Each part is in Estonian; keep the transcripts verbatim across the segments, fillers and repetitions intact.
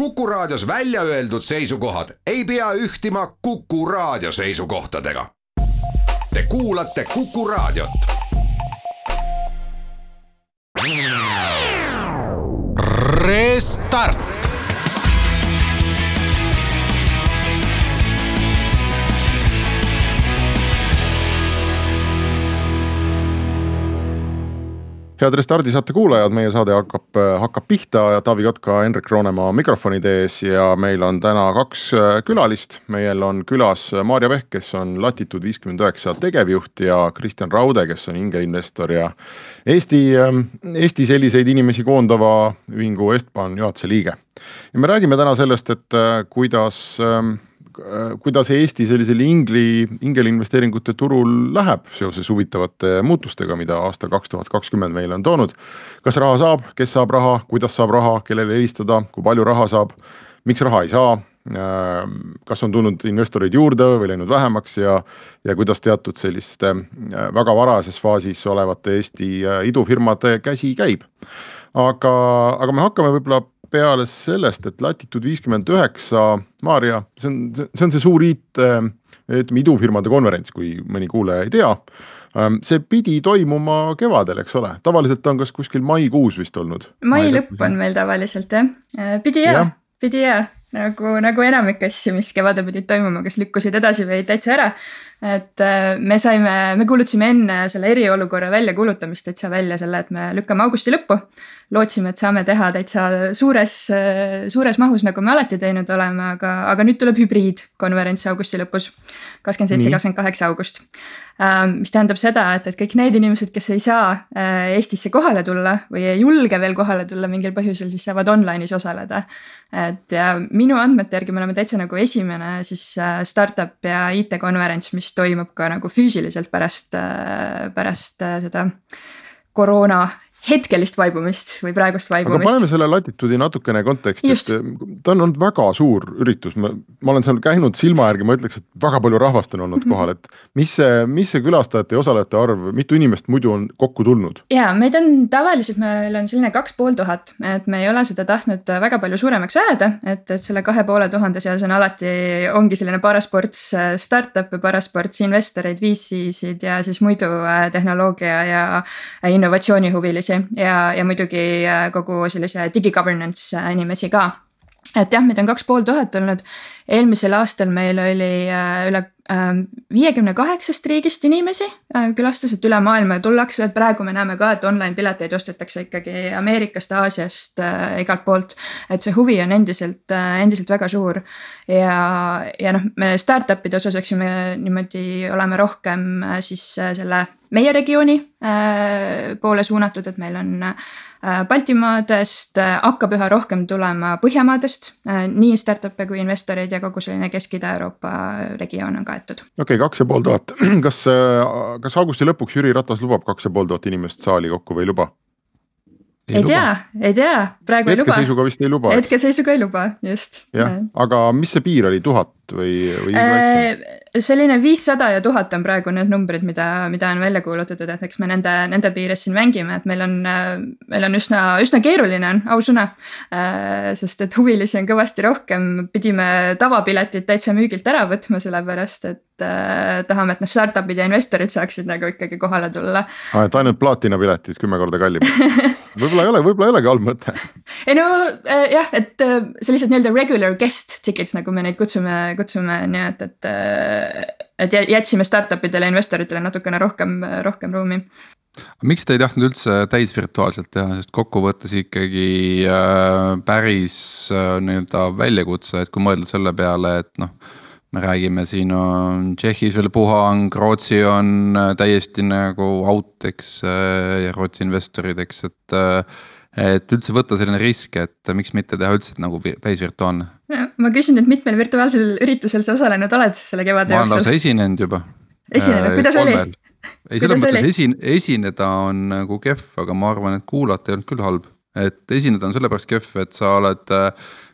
Kuku Raadios välja öeldud seisukohad ei pea ühtima Kuku Raadio seisukohtadega. Te kuulate Kuku Raadiot. Restart. Head Restardi saate kuulajad, meie saade hakkab, hakkab pihta ja Taavi Kotka, Henrik Roonemaa mikrofonide ees ja meil on täna kaks külalist. Meil on külas Maarja Vehk, kes on Latitude viiskümmend üheksa tegevjuht ja Kristjan Raude, kes on ingeinvestor ja Eesti, Eesti selliseid inimesi koondava ühingu Estban juhatuse liige. Ja me räägime täna sellest, et kuidas... kuidas Eesti sellisel ingli, ingelinvesteeringute turul läheb seoses huvitavate muutustega, mida aasta kaks tuhat kakskümmend meile on toonud. Kas raha saab, kes saab raha, kuidas saab raha, kellele helistada, kui palju raha saab, miks raha ei saa, kas on tulnud investoreid juurde või läinud vähemaks ja, ja kuidas teatud selliste väga varases faasis olevate Eesti idufirmade käsi käib. Aga, aga me hakkame võib-olla peale sellest, et Latitude viiskümmend üheksa, Maarja, see on see, on see suur IT, ütleme, idufirmade konverents, kui mõni kuulaja ei tea. See pidi toimuma kevadel, eks ole? Tavaliselt on kas kuskil maikuus vist olnud? Mai lõpp on meil tavaliselt, jah. Pidi jah, ja. pidi jah. Nagu, nagu enamik asju, mis kevade pidid toimuma, kes lükkusid edasi või täitsa ära. Et me saime, me kuulutasime enne selle eriolukorra välja kuulutamist täitsa välja selle, et me lükkame augusti lõppu. Lootsime, et saame teha täitsa suures, suures mahus, nagu me alati teinud oleme, aga, aga nüüd tuleb hübriidkonverents augusti lõpus, kakskümmend seitse kakskümmend kaheksa august. Mis tähendab seda, et, et kõik need inimesed, kes ei saa Eestisse kohale tulla või ei julge veel kohale tulla mingil põhjusel, siis saavad online'is osaleda. Et ja minu andmete järgi me oleme täitsa nagu esimene siis startup ja I T-konverents, mis toimub ka nagu füüsiliselt pärast, pärast seda koroona hetkelist vaibumist või praegust vaibumist. Aga paneme selle Latitude'i natukene konteksti, et ta on olnud väga suur üritus. Ma, ma olen seal käinud silma järgi, ma ütleks, et väga palju rahvast on olnud kohal. Et mis see, mis see külastajate ja osalejate arv, mitu inimest muidu on kokku tulnud? Jaa, meid on tavaliselt, meil on selline kaks pool tuhat, et me ei ole seda tahtnud väga palju suuremaks ajada, et, et selle kahe poole tuhande seas on alati, ongi selline parasports startup ja parasports investoreid, V C-sid ja siis muidu tehnoloogia ja innovatsiooni huvilisi. Ja, ja muidugi kogu sellise digi-governance inimesi ka. Et jah, meid on kaks pool tuhat olnud. Eelmisel aastal meil oli üle viiekümne kaheksast riigist inimesi külastas, et üle maailma tullakse, et praegu me näeme ka, et online pileteid ostetakse ikkagi Ameerikast, Aasiast, igalt poolt, et see huvi on endiselt, endiselt väga suur ja, ja noh, me startupide osas, eks me niimoodi oleme rohkem siis selle meie regiooni poole suunatud, et meil on Baltimaadest, hakkab üha rohkem tulema Põhjamaadest, nii startup'e kui investoreid ja kogu selline Kesk-Ida-Euroopa regioon on kaetud. Okei, okay, kaks ja pool tuhat. Kas, kas augusti lõpuks Jüri Ratas lubab kaks ja pool tuhat inimest saali kokku või ei luba? Ei, ei tea, ei tea, praegu ei luba. Hetkeseisuga vist ei luba. Hetkeseisuga ei luba, just. Ja, aga mis see piir oli, tuhat või, või äh, selline viissada ja tuhat on praegu need numbrid, mida, mida on välja kuulutatud, et eks me nende, nende piires siin mängime, et meil on, meil on üsna, üsna keeruline on, ausõna, äh, sest et huvilisi on kõvasti rohkem, pidime tavapiletid täitsa müügilt ära võtma, sellepärast, et äh, tahame, et noh, startupid ja investorid saaksid nagu ikkagi kohale tulla. Ah, et ainult plaatina piletid kümme korda kallim. Võib-olla ei ole, võib-olla ei olegi halb mõte. Ei no äh, jah, et äh, sellised nii-öelda regular guest tickets, nagu me neid kutsume, kutsume nii, et, et, et jätsime startupidele ja investoritele natukene rohkem, rohkem ruumi. Miks te ei tahtnud üldse täisvirtuaalselt teha, sest kokkuvõttes ikkagi äh, päris äh, nii-öelda väljakutse, et kui mõelda selle peale, et noh, me räägime siin on Tšehhis veel puhang, Rootsi on täiesti nagu out, eks, ja Rootsi investorid, eks, et, et üldse võtta selline risk, et miks mitte teha üldse nagu täisvirtuaalne? Ja, ma küsin, et mitmel virtuaalsel üritusel sa osalenud oled selle kevade jooksul? Ma olen lausa esinenud juba. Esinenud, kuidas oli? Ei, selles mõttes esin, esineda on nagu kehv, aga ma arvan, et kuulata ei olnud küll halb. Et esineda on sellepärast kehv, et sa oled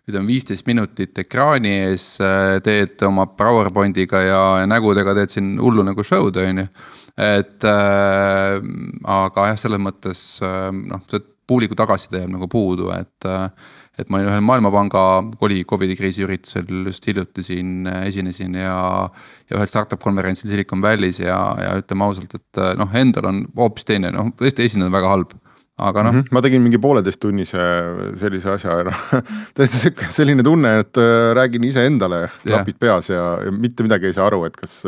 ütleme viisteist minutit ekraani ees, teed oma PowerPointiga ja nägudega teed siin hullu nagu show'd, on ju. Et äh, aga jah, selles mõttes noh, see puuliku tagasiside jääb nagu puudu, et, et ma olin ühel Maailmapanga Coli- Covidi kriisi üritusel just hiljuti siin esinesin ja, ja ühel startup konverentsil Silicon Valley's ja, ja ütleme ausalt, et noh, endal on hoopis teine, noh tõesti esineda väga halb. Aga noh mm -hmm. ma tegin mingi pooleteist tunnise sellise asja ja tõesti selline tunne, et räägin ise endale klapid peas ja, ja mitte midagi ei saa aru, et kas,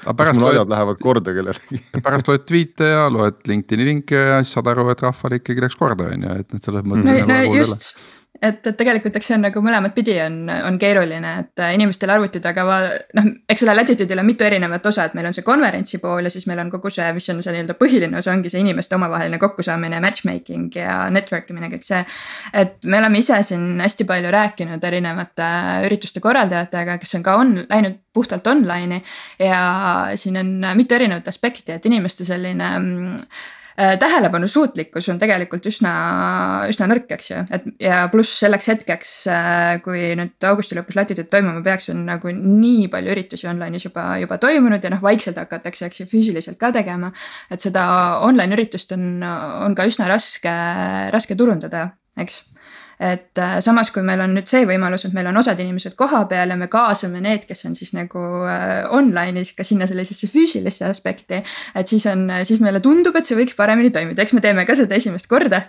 kas mul ajad lähevad korda kellelegi. Pärast loed tweete ja loed LinkedIni linke ja siis saad aru, et rahval ikkagi läks korda, on ju, et need selles mõttes no, no just, et, et tegelikult eks see on nagu mõlemat pidi on, on keeruline, et inimestel arvutid, aga va, noh, eks ole Latitude'il on mitu erinevat osa, et meil on see konverentsi pool ja siis meil on kogu see, mis on see nii-öelda põhiline osa, ongi see inimeste omavaheline kokkusaamine, matchmaking ja networkimine, kõik see. Et me oleme ise siin hästi palju rääkinud erinevate ürituste korraldajatega, kes on ka on, läinud puhtalt online'i ja siin on mitu erinevat aspekti, et inimeste selline tähelepanu suutlikkus on tegelikult üsna, üsna nõrk, eks ju, et ja pluss selleks hetkeks, kui nüüd augusti lõpus Latitude toimuma peaks, on nagu nii palju üritusi online'is juba, juba toimunud ja noh, vaikselt hakatakse, eks ju, füüsiliselt ka tegema, et seda online üritust on, on ka üsna raske, raske turundada, eks. Et samas, kui meil on nüüd see võimalus, et meil on osad inimesed koha peal ja me kaasame need, kes on siis nagu online'is ka sinna sellisesse füüsilisse aspekti, et siis on, siis meile tundub, et see võiks paremini toimida, eks me teeme ka seda esimest korda,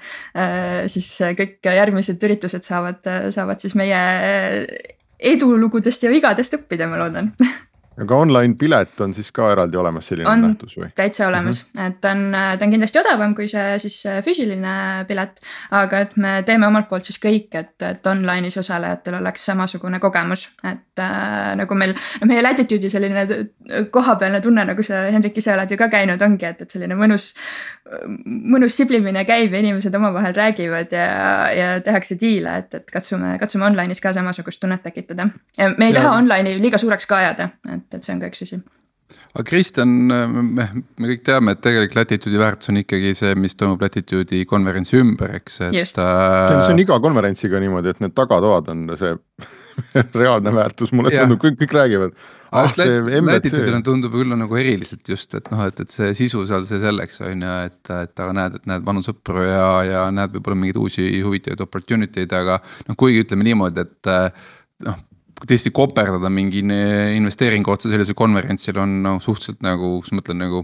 siis kõik järgmised üritused saavad, saavad siis meie edulugudest ja vigadest õppida, ma loodan. Aga online pilet on siis ka eraldi olemas selline on nähtus või? Täitsa olemas, mm -hmm. et ta on, ta on kindlasti odavam kui see siis füüsiline pilet, aga et me teeme omalt poolt siis kõik, et, et online'is osalejatel oleks samasugune kogemus, et äh, nagu meil, no meie Latitude'i selline kohapealne tunne, nagu sa Henrik ise oled ju ka käinud, ongi, et, et selline mõnus, mõnus siblimine käib ja inimesed omavahel räägivad ja, ja tehakse diile, et, et katsume, katsume online'is ka samasugust tunnet tekitada. Ja me ei ja. taha online'i liiga suureks ka ajada, et et see on ka üks asi. Aga Kristjan, me, me kõik teame, et tegelikult Latitude'i väärtus on ikkagi see, mis toimub Latitude'i konverentsi ümber, eks. Et, Just. Äh... see on iga konverentsiga niimoodi, et need tagatoad on see reaalne väärtus, mulle tundub, kõik, kõik räägivad. Ah, Latitude'il tundub küll nagu eriliselt just, et noh, et, et see sisu seal see selleks on ja et, et aga näed, et näed vanu sõpru ja, ja näed võib-olla mingeid uusi huvitavaid opportunity'd, aga noh, kuigi ütleme niimoodi, et noh, tõesti koperdada mingi investeeringu otsa sellisel konverentsil on no, suhteliselt nagu, kus ma mõtlen nagu,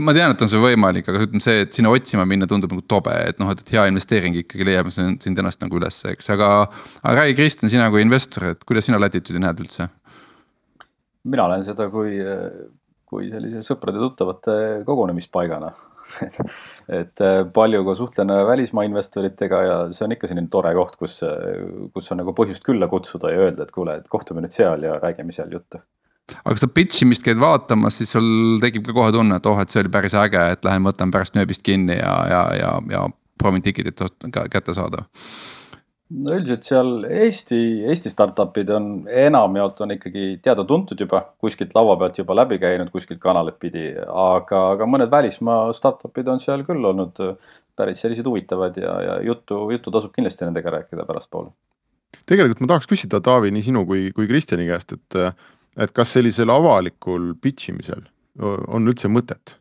ma tean, et on see võimalik, aga ütleme see, et sinna otsima minna tundub nagu tobe, et noh, et hea investeering ikkagi leiab sind ennast nagu üles, eks, aga, aga räägi Kristjan, sina kui investor, et kuidas sina Latitude'i näed üldse? Mina olen seda kui, kui sellise sõprade tuttavate kogunemispaigana. et palju ka suhtlen välismaa investoritega ja see on ikka selline tore koht, kus, kus on nagu põhjust külla kutsuda ja öelda, et kuule, et kohtume nüüd seal ja räägime seal juttu. Aga kui sa pitchimist käid vaatamas, siis sul tekib ka kohe tunne, et oh, et see oli päris äge, et lähen võtan pärast nööbist kinni ja, ja, ja, ja proovin tikitit kätte saada. No üldiselt seal Eesti, Eesti startupid on enamjaolt on ikkagi teada tuntud juba, kuskilt laua pealt juba läbi käinud, kuskilt kanalit pidi, aga, aga mõned välismaa startupid on seal küll olnud päris sellised huvitavad ja, ja juttu, juttu tasub kindlasti nendega rääkida pärast poole. Tegelikult ma tahaks küsida, Taavi, nii sinu kui, kui Kristjani käest, et, et kas sellisel avalikul pitchimisel on üldse mõtet?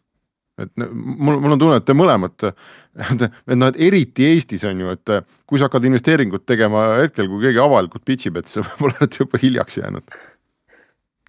Et mul, mul on tunne, et te mõlemad, et, et, no, et eriti Eestis on ju, et kui sa hakkad investeeringut tegema hetkel, kui keegi avalikult pitchib, et see võib olla juba hiljaks jäänud.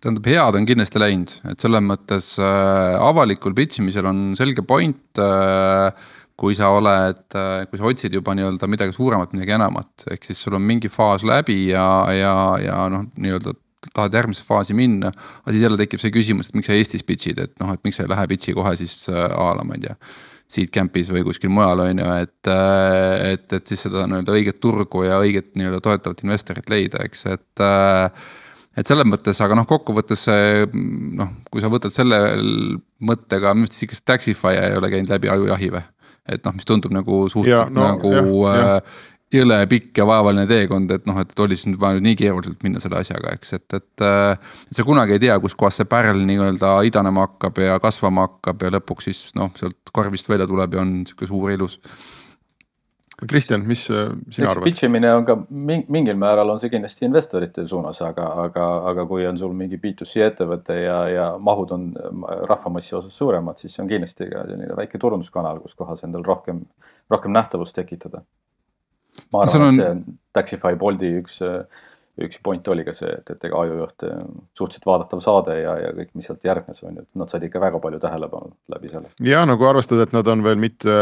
Tähendab, head on kindlasti läinud, et selles mõttes äh, avalikul pitchimisel on selge point, äh, kui sa oled, kui sa otsid juba nii-öelda midagi suuremat, midagi enamat, ehk siis sul on mingi faas läbi ja, ja, ja noh, nii-öelda tahad järgmise faasi minna, aga siis jälle tekib see küsimus, et miks sa Eestis pitchid, et noh, et miks sa ei lähe pitchi kohe siis aala, ma ei tea, Seedcampis või kuskil mujal on ju, et, et, et siis seda nii-öelda õiget turgu ja õiget nii-öelda toetavat investorit leida, eks, et et selles mõttes, aga noh, kokkuvõttes noh, kui sa võtad selle mõttega, minu arvates ikka Taxify ei ole käinud läbi ajujahi või, et noh, mis tundub nagu suhteliselt no, nagu ja, ja. jõle pikk ja vaevaline teekond, et noh, et oli siin vaja nüüd nii keeruliselt minna selle asjaga, eks, et, et, et sa kunagi ei tea, kus kohas see pärl nii-öelda idanema hakkab ja kasvama hakkab ja lõpuks siis noh, sealt karvist välja tuleb ja on niisugune suur ilus. Kristjan, mis sina arvad? Pitchimine on ka mingil määral on see kindlasti investorite suunas, aga, aga, aga kui on sul mingi B two C ettevõte ja, ja mahud on rahvamassi osas suuremad, siis on kindlasti ka selline väike turunduskanal, kus kohas endal rohkem, rohkem nähtavust tekitada. ma arvan, on... et see Taxify Bolti üks, üks point oli ka see, et, et ega ajujuht suhteliselt vaadatav saade ja, ja kõik, mis sealt järgnes on, et nad said ikka väga palju tähelepanu läbi selle. Ja nagu arvestada, et nad on veel mitte,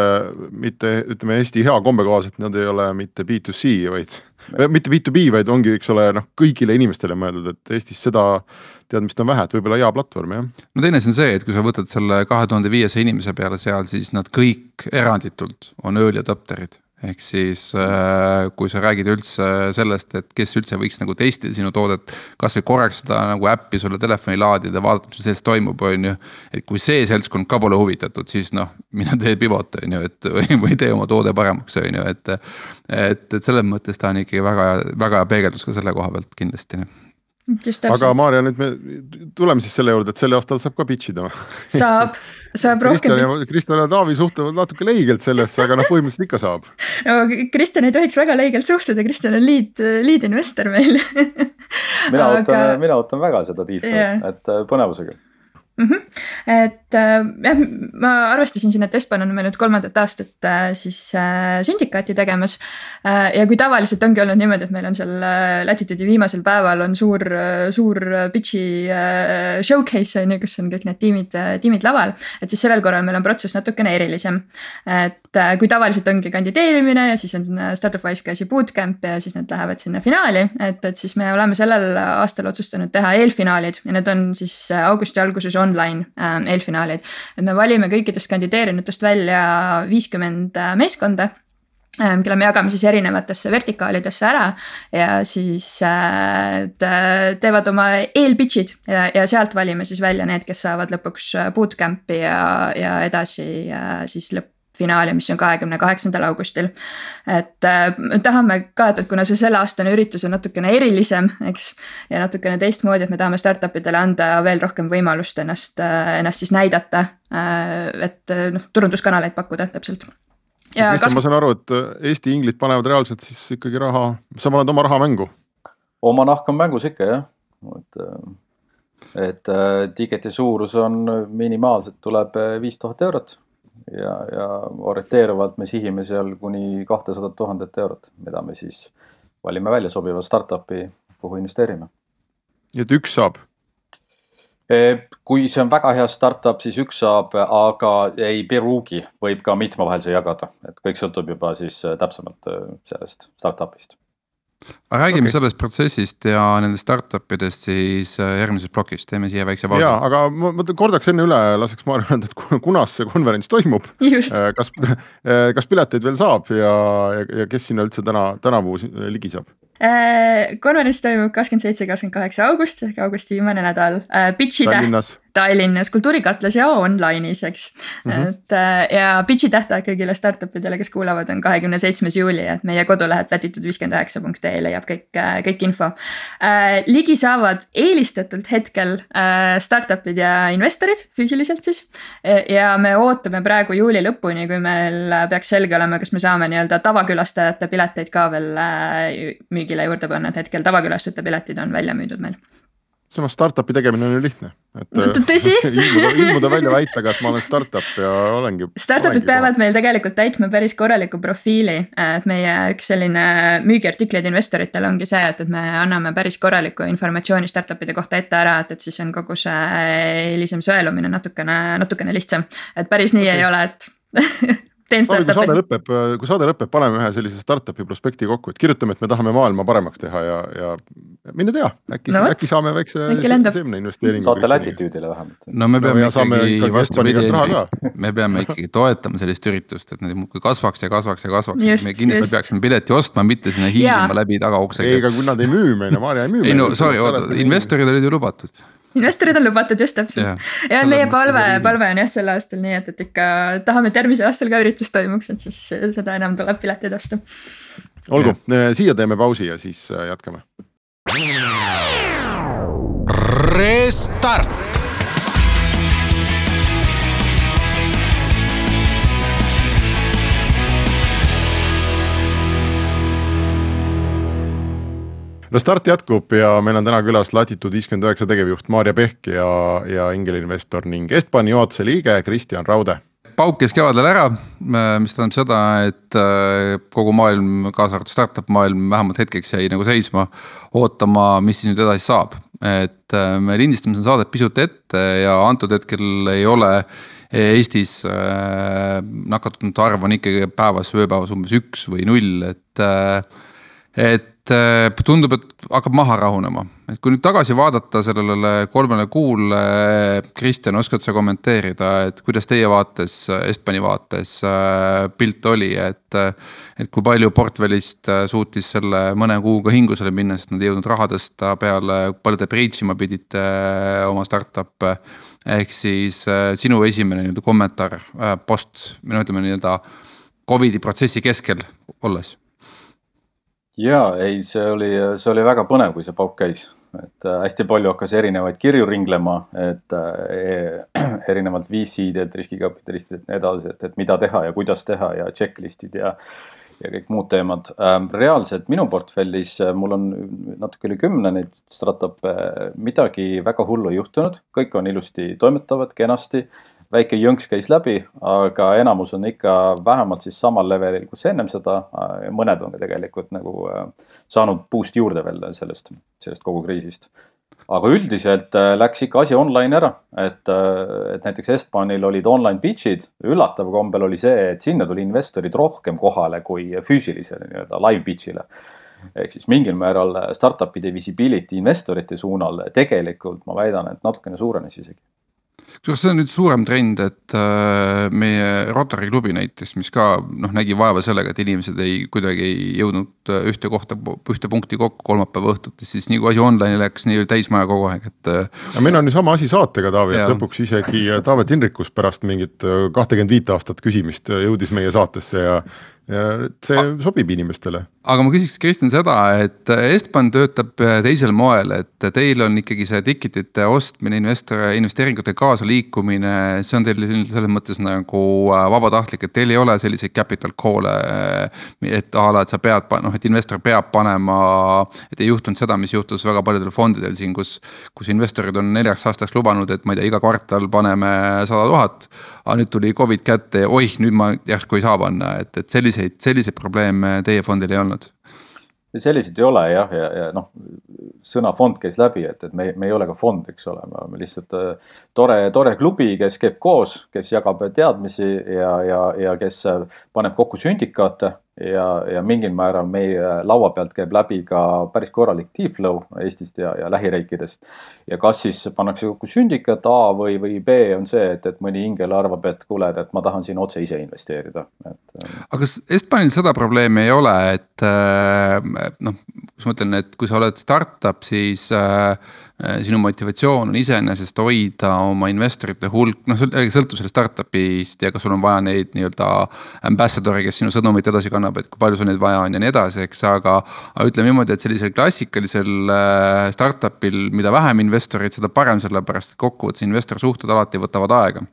mitte ütleme Eesti hea kombe kohaselt, nad ei ole mitte B to C, vaid ja. mitte B to B, vaid ongi, eks ole, noh, kõigile inimestele mõeldud, et Eestis seda teadmist on vähe, et võib-olla hea platvorm, jah. No teine on see, et kui sa võtad selle kahe tuhande viiesaja inimese peale seal, siis nad kõik eranditult on early adopterid. Ehk siis kui sa räägid üldse sellest, et kes üldse võiks nagu testida sinu toodet, kas või korraks seda nagu äppi sulle telefoni laadida, vaadata, mis sellest toimub, on ju. Et kui see seltskond ka pole huvitatud, siis noh, mina tee pivot, on ju, et või, või tee oma toode paremaks, on ju, et, et, et selles mõttes ta on ikkagi väga, väga peegeldus ka selle koha pealt kindlasti. Aga Maarja, nüüd me tuleme siis selle juurde, et selle aastal saab ka pitchida. Saab, saab rohkem pitchida. Kristjan ja Taavi suhtuvad natuke leigelt sellesse, aga noh, põhimõtteliselt ikka saab. No, Kristjan ei tohiks väga leigelt suhtuda, Kristjan on lead, lead investor meil. mina, aga... ootan, mina ootan väga seda tiitlit, yeah. et põnevusega. Mm-hmm. Et jah, ma arvestasin siin, et Espan on meil nüüd kolmandat aastat siis sündikaati tegemas ja kui tavaliselt ongi olnud niimoodi, et meil on seal Latitude'i viimasel päeval on suur, suur pitchi showcase, kus on kõik need tiimid, tiimid laval, et siis sellel korral meil on protsess natukene erilisem. Et kui tavaliselt ongi kandideerimine ja siis on Startup Wise käsi bootcamp ja siis need lähevad sinna finaali, et, et siis me oleme sellel aastal otsustanud teha eelfinaalid ja need on siis augusti alguses on online äh, eelfinaalid, et me valime kõikidest kandideerinutest välja viiskümmend meeskonda, äh, kelle me jagame siis erinevatesse vertikaalidesse ära ja siis äh, teevad oma eelpitchid ja, ja sealt valime siis välja need, kes saavad lõpuks bootcampi ja, ja edasi äh, siis lõpp finaali, mis on kahekümne kaheksandal augustil. Et äh, tahame ka, et kuna see selle aastane üritus on natukene erilisem, eks, ja natukene teistmoodi, et me tahame startupidele anda veel rohkem võimalust ennast, ennast siis näidata, äh, et noh, turunduskanaleid pakkuda täpselt. Ja kas... Ma saan aru, et Eesti inglid panevad reaalselt siis ikkagi raha, sa paned oma raha mängu? Oma nahk on mängus ikka, jah. Et, et tiketi suurus on minimaalselt tuleb viis tuhat eurot. Ja, ja orienteeruvalt me sihime seal kuni kakssada tuhat eurot, mida me siis valime välja sobiva startupi, kuhu investeerime. Et üks saab? Kui see on väga hea startup, siis üks saab, aga ei pruugi, võib ka mitme vahel see jagada. Et kõik sõltub juba siis täpsemalt sellest startupist. Aga räägime okay. sellest protsessist ja nendest startupidest siis järgmises plokis, teeme siia väikse pausi. Jaa, aga ma, ma kordaks enne üle, laseks Maarja öelda, et kunas see konverents toimub. Just. Kas, kas pileteid veel saab ja, ja, ja kes sinna üldse täna, tänavu ligi saab? Konverents toimub kakskümmend seitse kakskümmend kaheksa august, ehk augusti viimane nädal. Pitchi Tallinnas. Täht, Tallinnas, Kultuurikatlas ja online'is, eks. Mm-hmm. Et, ja pitchi tähtaeg kõigile startupidele, kes kuulavad, on kahekümne seitsmes juuli, et meie kodulehed latitude viiskümmend üheksa punkt ee leiab kõik, kõik info. Ligi saavad eelistatult hetkel startupid ja investorid füüsiliselt siis. Ja me ootame praegu juuli lõpuni, kui meil peaks selge olema, kas me saame nii-öelda tavakülastajate pileteid ka veel müügile juurde panna, et hetkel tavakülastajate piletid on välja müüdud meil. Samas startupi tegemine on ju lihtne. Et, no, tõsi? ilmuda, ilmuda välja väitaga, et ma olen startup ja olengi. Startupid olengi peavad koha. Meil tegelikult täitma päris korraliku profiili, et meie üks selline müügiartikleid investoritel ongi see, et, et me anname päris korraliku informatsiooni startupide kohta ette ära, et, et siis on kogu see hilisem sõelumine natukene, natukene lihtsam, et päris nii okay. ei ole, et teen startupi. Kui saade lõpeb, kui saade lõpeb, paneme ühe sellise startupi prospekti kokku, et kirjutame, et me tahame maailma paremaks teha ja, ja mine tea, äkki, no, äkki saame väikse seemne investeeringu. Saate Latitude'ile vähemalt. No me peame no, ikkagi, vastupidi, me peame ikkagi toetama sellist üritust, et need muudkui kasvaks ja kasvaks ja kasvaks. Just, me kindlasti just. Peaksime pileti ostma, mitte sinna hiilima läbi tagauksega. Ei, aga kui nad ei müü meile, Maarja ei müü meile. Ei no, sorry, oota, investorid olid ju lubatud. Investorid on lubatud just täpselt. Ja, ja meie palve, palve on jah selle aastal nii, et, et ikka tahame, et järgmise aastal ka üritus toimuks, et siis seda enam tuleb piletid osta. Olgu, siia teeme pausi ja siis jätkame. Restart! Restart jätkub ja meil on täna külas Latitude viiskümmend üheksa tegevjuht Maarja Pehk ja, ja ingelinvestor ning Estbani juhatuse liige Kristjan Raude. pauk käis kevadel ära, mis tähendab seda, et kogu maailm, kaasa arvatud startup maailm vähemalt hetkeks jäi nagu seisma, ootama, mis siis nüüd edasi saab. Et me lindistame seda saadet pisut ette ja antud hetkel ei ole Eestis nakatunute arv on ikkagi päevas, ööpäevas umbes üks või null, et, et tundub, et hakkab maha rahunema. Et kui nüüd tagasi vaadata sellele kolmele kuule, Kristjan, oskad sa kommenteerida, et kuidas teie vaates, Estbani vaates pilt oli, et, et kui palju portfellist suutis selle mõne kuuga hingusele minna, sest nad ei jõudnud raha tõsta peale, palju te breachima pidite oma startup, ehk siis sinu esimene nii-öelda kommentaar post, minu ütleme nii-öelda Covidi protsessi keskel olles. Jaa, ei, see oli, see oli väga põnev, kui see pauk käis. Et hästi palju hakkas erinevaid kirju ringlema, et erinevalt V C-d, riskikapitalistid ja nii edasi, et, et mida teha ja kuidas teha ja checklistid ja, ja kõik muud teemad. Reaalselt minu portfellis, mul on natuke üle kümne neid startup, midagi väga hullu juhtunud, kõik on ilusti toimetavad, kenasti. Väike jõnks käis läbi, aga enamus on ikka vähemalt siis samal levelil, kus ennem seda, mõned on ka tegelikult nagu saanud boost juurde veel sellest, sellest kogu kriisist. Aga üldiselt läks ikka asi online ära, et, et näiteks Estbanil olid online pitch'id, üllatav kombel oli see, et sinna tuli investorid rohkem kohale kui füüsilisele nii-öelda live pitch'ile. Ehk siis mingil määral startupide visibility investorite suunal tegelikult ma väidan, et natukene suurenes isegi. Kas see on nüüd suurem trend, et meie Rotary klubi näiteks, mis ka noh, nägi vaeva sellega, et inimesed ei kuidagi ei jõudnud ühte kohta, ühte punkti kokku kolmapäeva õhtut, siis nii kui asi online läks, nii oli täismaja kogu aeg. Et... Ja meil on ju sama asi saatega, Taavi, et lõpuks isegi Taavet Hinrikus pärast mingit kakskümmend viis aastat küsimist jõudis meie saatesse ja, ja see A sobib inimestele. Aga ma küsiks Kristjan seda, et Estban töötab teisel moel, et teil on ikkagi see ticketite ostmine, investor, investeeringute kaasa liikumine, see on teil selles mõttes nagu vabatahtlik, et teil ei ole selliseid capital call'e, et ala, et sa pead, noh, et investor peab panema, et ei juhtunud seda, mis juhtus väga paljudel fondidel siin, kus, kus investorid on neljaks aastaks lubanud, et ma ei tea, iga kvartal paneme sada tuhat, aga nüüd tuli Covid kätte, oih, nüüd ma järsku ei saa panna, et, et selliseid, selliseid probleeme teie fondil ei olnud. Selliseid ei ole jah, ja, ja noh, sõna fond käis läbi, et, et me, me ei ole ka fond, eks ole, me oleme lihtsalt tore, tore klubi, kes käib koos, kes jagab teadmisi ja, ja, ja kes paneb kokku sündikaate ja, ja mingil määral meie laua pealt käib läbi ka päris korralik deal-flow Eestist ja, ja lähiriikidest. Ja kas siis pannakse kokku syndikat A või, või B on see, et, et mõni ingel arvab, et kuule, et ma tahan siin otse ise investeerida. Et, aga kas Estbanil seda probleemi ei ole, et noh, kus ma ütlen, et kui sa oled startup, siis äh, sinu motivatsioon on iseenesest hoida oma investorite hulk, noh, sõltub sellest startupist ja kas sul on vaja neid nii-öelda ambassadori, kes sinu sõnumit edasi kannab, et kui palju sul neid vaja on ja nii edasi, eks, aga, aga ütleme niimoodi, et sellisel klassikalisel startupil, mida vähem investorid, seda parem, sellepärast, et kokkuvõttes investor suhted alati võtavad aega.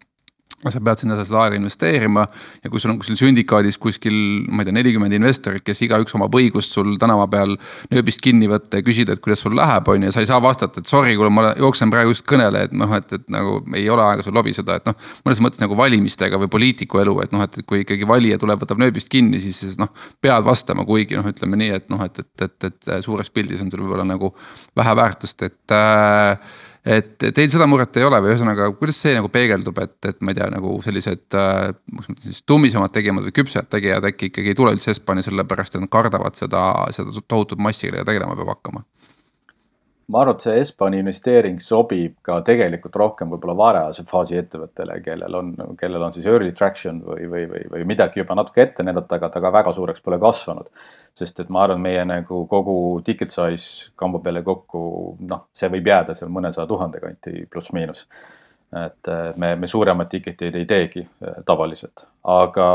Sa pead sinna seda aega investeerima ja kui sul on kuskil sündikaadis kuskil, ma ei tea, nelikümmend investorit, kes iga üks oma õigust sul tänava peal nööbist kinni võtta ja küsida, et kuidas sul läheb, on ja sa ei saa vastata, et sorry, kui ma jooksen praegu just kõnele, et noh, et, et nagu ei ole aega sul lobiseda, et noh, mõnes mõttes nagu valimistega või poliitiku elu, et noh, et kui ikkagi valija tuleb, võtab nööbist kinni, siis, siis noh, pead vastama, kuigi noh, ütleme nii, et noh, et, et, et, et suures pildis on seal võib-olla nagu vähe väärtust, et äh, et teil seda muret ei ole või ühesõnaga, kuidas see nagu peegeldub, et, et ma ei tea, nagu sellised äh, siis tummisemad tegijad või küpsed tegijad äkki ikkagi ei tule üldse Estbani sellepärast, et nad kardavad seda, seda tohutut massi, kellega tegelema peab hakkama? Ma arvan, et see Estbani investeering sobib ka tegelikult rohkem võib-olla varajase faasi ettevõttele, kellel on, kellel on siis early traction või, või, või, või midagi juba natuke ette näidata, aga ta ka väga suureks pole kasvanud. Sest et ma arvan, meie nagu kogu ticket size kamba peale kokku, noh, see võib jääda seal mõnesaja tuhande kanti pluss miinus. Et me, me suuremad ticketid ei teegi tavaliselt. Aga,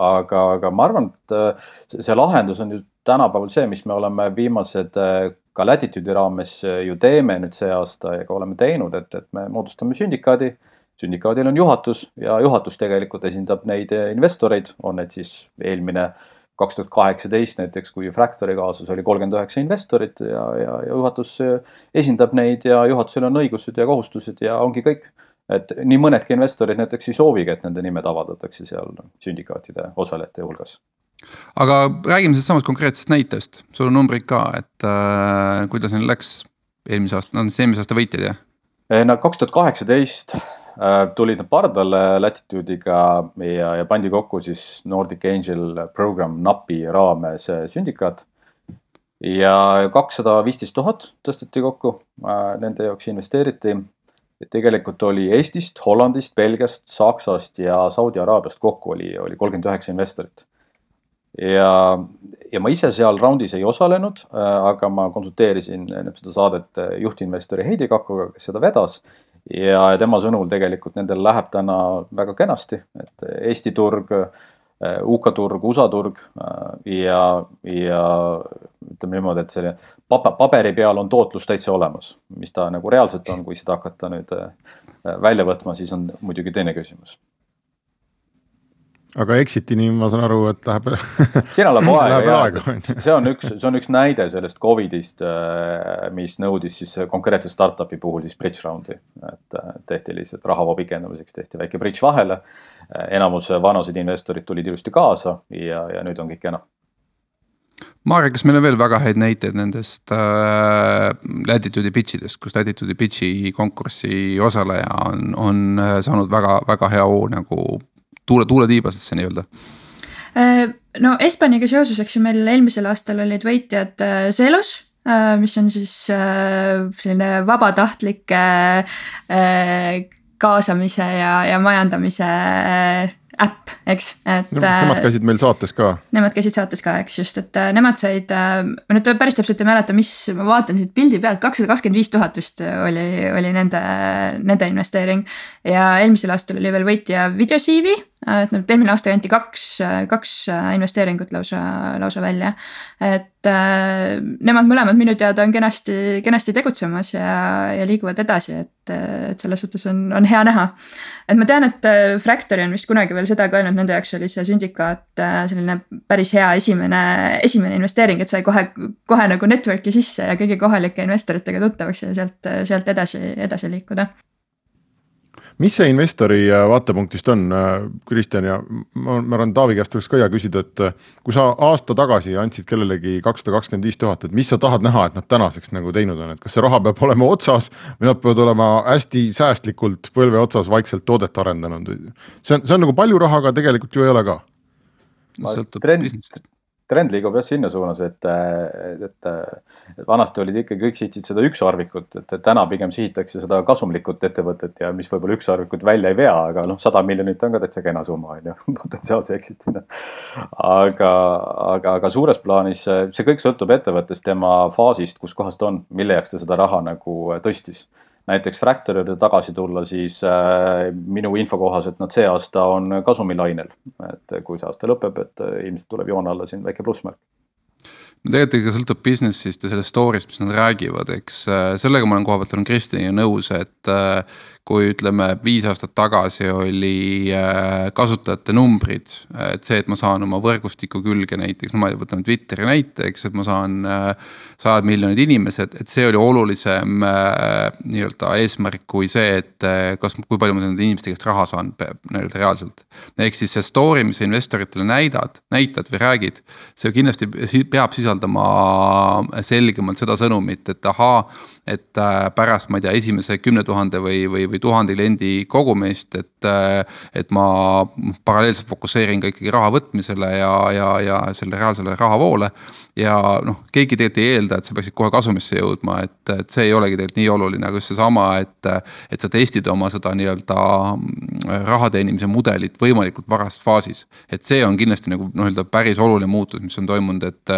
aga, aga ma arvan, et see lahendus on ju tänapäeval see, mis me oleme viimased ka Latitude'i raames ju teeme nüüd see aasta ja ka oleme teinud, et, et me moodustame sündikaadi. Sündikaadil on juhatus ja juhatus tegelikult esindab neid investoreid, on need siis eelmine kaks tuhat kaheksateist näiteks, kui Fractori kaasus oli kolmkümmend üheksa investorit ja, ja, ja juhatus esindab neid ja juhatusel on õigused ja kohustused ja ongi kõik. et nii mõnedki investorid näiteks ei soovigi, et nende nimed avaldatakse seal sündikaatide osalejate hulgas. Aga räägime sellest samast konkreetsest näitest, sul on numbrid ka, et äh, kuidas neil läks eelmise aasta, no eelmise aasta võitjad, jah? No kaks tuhat kaheksateist äh, tulid nad pardale Latitude'iga ja, ja pandi kokku siis Nordic Angel Program N A P-i raames sündikaat. Ja kakssada viisteist tuhat tõsteti kokku, äh, nende jaoks investeeriti. Et tegelikult oli Eestist, Hollandist, Belgiast, Saksast ja Saudi Araabiast kokku oli, oli kolmkümmend üheksa investorit. Ja, ja ma ise seal raundis ei osalenud, aga ma konsulteerisin seda saadet juhtinvestori Heidi Kakkoga, kes seda vedas. Ja tema sõnul tegelikult nendel läheb täna väga kenasti, et Eesti turg, U K turg, U S A turg ja, ja ütleme niimoodi, et selle paberi peal on tootlus täitsa olemas, mis ta nagu reaalselt on, kui seda hakata nüüd välja võtma, siis on muidugi teine küsimus. Aga exitini ma saan aru, et läheb, Sina läheb aega, läheb ja, aega. See, on üks, see on üks näide sellest Covidist, mis nõudis siis konkreetse startupi puhul siis bridge roundi. Et tehti lihtsalt rahavoo pikendamiseks, tehti väike bridge vahele. Enamus vanused investorid tulid ilusti kaasa ja, ja nüüd on kõik enam. Maarja, kas meil on veel väga häid näiteid nendest äh, Latitude'i pitchidest, kus Latitude'i pitchi konkurssi osaleja on, on saanud väga, väga hea oo nagu tuule, tuule tiibasesse nii öelda? No Espaniga seoses, eks ju meil eelmisel aastal olid võitjad Zelos, mis on siis selline vabatahtlike kaasamise ja, ja majandamise äpp, eks. Et, nemad käisid meil saates ka. Nemad käisid saates ka, eks just, et nemad said, ma nüüd päris täpselt ei mäleta, mis, ma vaatan siit pildi pealt, kakssada kakskümmend viis tuhat vist oli, oli nende, nende investeering. Ja eelmisel aastal oli veel võitja Videosiivi, et eelmine aasta anti kaks, kaks investeeringut lausa, lausa välja. Et nemad mõlemad minu teada on kenasti, kenasti tegutsemas ja, ja liiguvad edasi, et, et selles suhtes on, on hea näha. Et ma tean, et Fractory on vist kunagi veel seda ka öelnud, nende jaoks oli see sündikaat selline päris hea esimene, esimene investeering, et sai kohe, kohe nagu networki sisse ja kõigi kohalike investoritega tuttavaks ja sealt, sealt edasi, edasi liikuda. Mis see investori vaatepunktist on, Kristjan, ja ma arvan, Taavi käest oleks ka hea küsida, et kui sa aasta tagasi andsid kellelegi kakssada kakskümmend viis tuhat, et mis sa tahad näha, et nad tänaseks nagu teinud on, et kas see raha peab olema otsas või nad peavad olema hästi säästlikult põlve otsas vaikselt toodet arendanud. See on, see on nagu palju raha, aga tegelikult ju ei ole ka. Trend, trend liigub jah sinna suunas, et, et, et vanasti olid ikka kõik sihtid seda ükssarvikut, et täna pigem sihitakse seda kasumlikut ettevõtet ja mis võib-olla ükssarvikut välja ei vea, aga noh, sada miljonit on ka täitsa kena summa, on ju, potentsiaalse exitina. Aga, aga, aga suures plaanis see kõik sõltub ettevõttest, tema faasist, kus kohast on, mille jaoks ta seda raha nagu tõstis. Näiteks Fractory'le tagasi tulla, siis äh, minu info kohaselt nad see aasta on kasumilainel, et kui see aasta lõpeb, et ilmselt tuleb joon alla siin väike plussmärk. No tegelikult ikka sõltub businessist ja sellest story'st, mis nad räägivad, eks sellega ma olen koha pealt olen Kristjaniga nõus, et kui ütleme viis aastat tagasi oli kasutajate numbrid, et see, et ma saan oma võrgustiku külge näiteks, no ma võtan Twitteri näiteks, et ma saan sajad miljonid inimesed, et see oli olulisem nii-öelda eesmärk kui see, et kas, kui palju ma nende inimeste käest raha saan nii-öelda reaalselt. Ehk siis see story, mis sa investoritele näidad, näitad või räägid, see kindlasti peab sisaldama selgemalt seda sõnumit, et ahaa, et pärast, ma ei tea, esimese kümne tuhande või, või, või tuhande kliendi kogumist, et, et ma paralleelselt fokusseerin ka ikkagi raha võtmisele ja, ja, ja selle reaalsele rahavoole. Ja noh, keegi tegelikult ei eelda, et sa peaksid kohe kasumisse jõudma, et, et see ei olegi tegelikult nii oluline, aga just see sama, et, et sa testid oma seda nii-öelda rahateenimise mudelit võimalikult varast faasis. Et see on kindlasti nagu nii-öelda päris oluline muutus, mis on toimunud, et,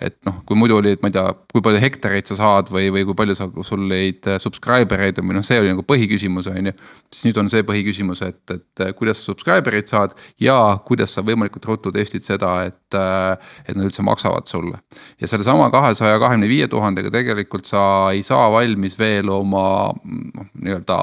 et noh, kui muidu oli, et ma ei tea, kui palju hektareid sa saad või, või kui palju sa, sul leid subscribereid või noh, see oli nagu põhiküsimus, on ju. Siis nüüd on see põhiküsimus, et, et kuidas sa subscribereid saad ja kuidas sa võimalikult ruttu testid seda, et, et nad üldse maksavad sulle. Ja selle sama kahesaja kahekümne viie tuhandega tegelikult sa ei saa valmis veel oma nii-öelda